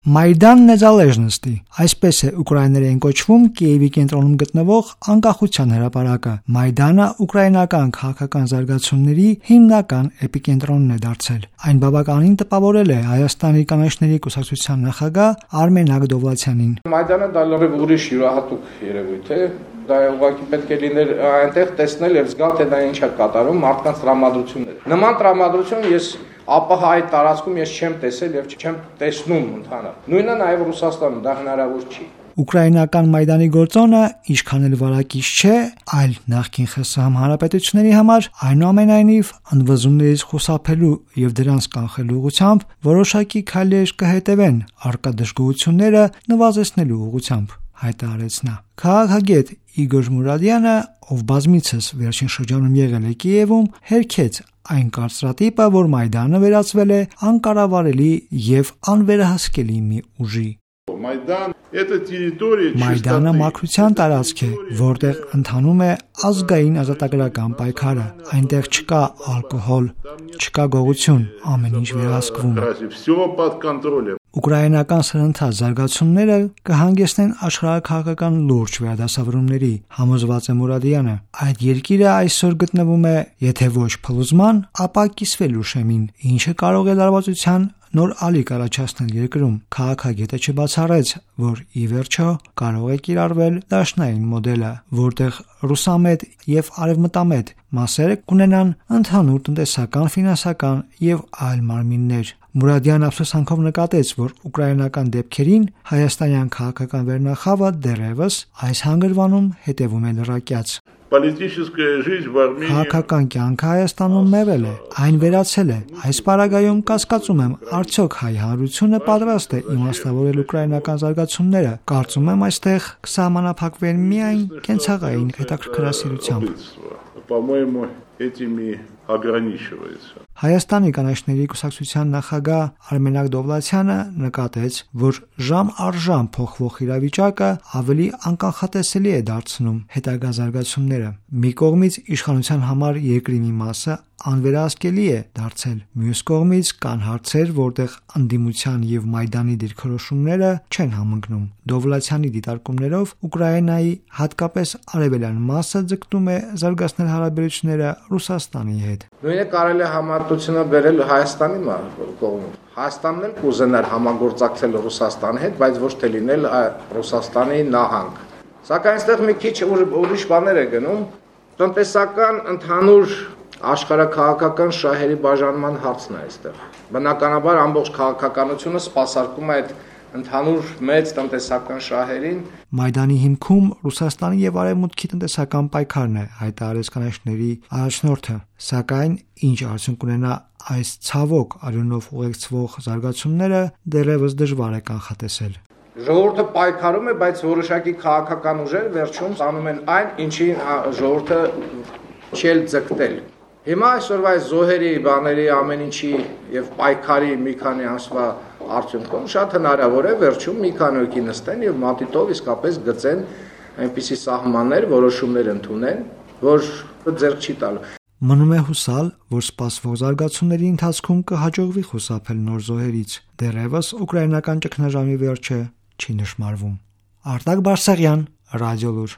Մայդան Նեզալեժնստի, այսպես է ուկրաիներեն կոչվում Կիևի կենտրոնում գտնվող անկախության հրապարակը։ Մայդանը ուկրաինական քաղաքական զարգացումների հիմնական էպիկենտրոնն է դարձել։ Այն բավականին տպավորել է Հայաստանի կանաչների կուսակցության նախագահ Արմեն Աղդովլացյանին։ Մայդանը դա լրիվ ուրիշ յուրահատուկ երևույթ է։ Դա ուղղակի պետք է լիներ այնտեղ տեսնել եւ զգալ, թե դա ինչ է կատարում մարդկանց տրամադրությունները։ Նման տրամադրություն ես ապահայ տարածքում ես չեմ տեսել եւ չեմ տեսնում ընդհանուր։ Նույնը նաեւ Ռուսաստանում դա հնարավոր չի։ Ուկրաինական Մայդանի գործոնը ինչքան էլ վարակիչ չէ, այլ նախկին ԽՍՀՄ հանրապետությունների համար այնուամենայնիվ ընդվզումներից խուսափելու եւ դրանց կանխելու ուղղությամբ որոշակի քայլեր կհետևեն առկա դժգոհությունները նվազեցնելու ուղղությամբ, հայտարարեց նա։ Քաղաքագետ Իգոր Մուրադյանը, ով բազմիցս վերջին շրջանում եղել է Կիևում, հերքեց այն կարծրատիպը, որ Մայդանը վերածվել է անկառավարելի եւ անվերահսկելի մի ուժի։ Մայդանը մաքրության տարածք է, որտեղ ընթանում է ազգային ազատագրական պայքարը։ Այնտեղ չկա ալկոհոլ, չկա գողություն, ամեն ինչ վերահսկվում է։ Ուկրաինական սրընթաց զարգացումները կհանգեցնեն աշխարհաքաղաքական լուրջ վերադասավորումների, համոզված է Մուրադյանը։ Այդ երկիրը այսօր գտնվում է, եթե ոչ փլուզման, ապա կիսվելու շեմին, ինչը կարող է լարվածության նոր ալիք առաջացնել երկրում։ Քաղաքագետը չբացառեց, որ ի վերջո կարող է կիրառվել դաշնային մոդելը, որտեղ ռուսամետ եւ արևմտամետ մասերը կունենան ընդհանուր տնտեսական, ֆինանսական եւ այլ մարմիններ։ Մուրադյան ափսոսանքով նկատեց, որ ուկրաինական դեպքերին հայաստանյան քաղաքական վերնախավը դեռևս այս հանգրվանում հետևում է լրակյաց։ Քաղաքական կյանքը Հայաստանում մեռել է, այն վերացել է։ Այս պարագայում կասկածում եմ, արդյոք հայ հանրությունը պատրաստ է իմաստավորել ուկրաինական զարգացումները։ Կարծում եմ, այստեղ կսահմանափակվեն միայն կենցաղային հետաքրքրասիրությամբ։ Հայաստանի կանաչների կուսակցության նախագահ Արմեն Աղդովլացյանը նկատեց, որ ժամ առ ժամ փոխվող իրավիճակը ավելի անկանխատեսելի է դարձնում հետագա զարգացումները։ Մի կողմից իշխանության համար երկրի մի մասը անվերահսկելի է դարձել, մյուս կողմից կան հարցեր, որտեղ ընդդիմության եւ Մայդանի դիրքորոշումները չեն համընկնում։ Դովլացյանի դիտարկումներով Ուկրաինայի հատկապես արևելյան մասը ձգտում է զարգացնել հարաբերությունները Ռուսաստանի հետ։ Նույնը կարելի է համարտությունը բերել Հայաստանի կողմից։ Հայաստանն էլ կուզենար համագործակցել Ռուսաստանի հետ, բայց ոչ թե լինել Ռուսաստանի նահանգ։ Սակայն այստեղ մի քիչ ուրիշ բաներ է գնում, տնտեսական ընդհանուր աշխարհաքաղաքական շահերի բաժանման հարցն է այստեղ։ Բնականաբար ամբողջ քաղաքականությունը սպասարկում է այդ ընդհանուր մեծ տնտեսական շահերին։ Մայդանի հիմքում Ռուսաստանի եւ Արևմուտքի տնտեսական պայքարն է, հայտարարեց կանաչների առաջնորդը, սակայն ինչ արդյունք ունենա այս ցավոք արյունով ուղեկցվող զարգացումները դեռևս դժվար է կանխատեսել։ Ժողովուրդը պայքարում է, բայց որոշակի քաղաքական ուժեր վերջում անում են այն, ինչին ժողովուրդը չել ձգտել։ Հիմա այսօրվա զոհերի, բաների, ամեն ինչի եւ պայքարի մի քանի ամսվա արդյունքում շատ հնարավոր է վերջում մի քանի հոգի նստեն եւ մատիտով իսկապես գծեն այնպիսի սահմաններ, որոշումներ ընդունեն, որ ձեռք չի տալու։ Մնում է հուսալ, որ սպասվող զարգացումների ընթացքում կհաջողվի խուսափել նոր զոհերից։ Դեռևս ուկրաինական ճգնաժամի վերջը չի նշմարվում։ Արտակ Բարսեղյան, Ռադիոլուր։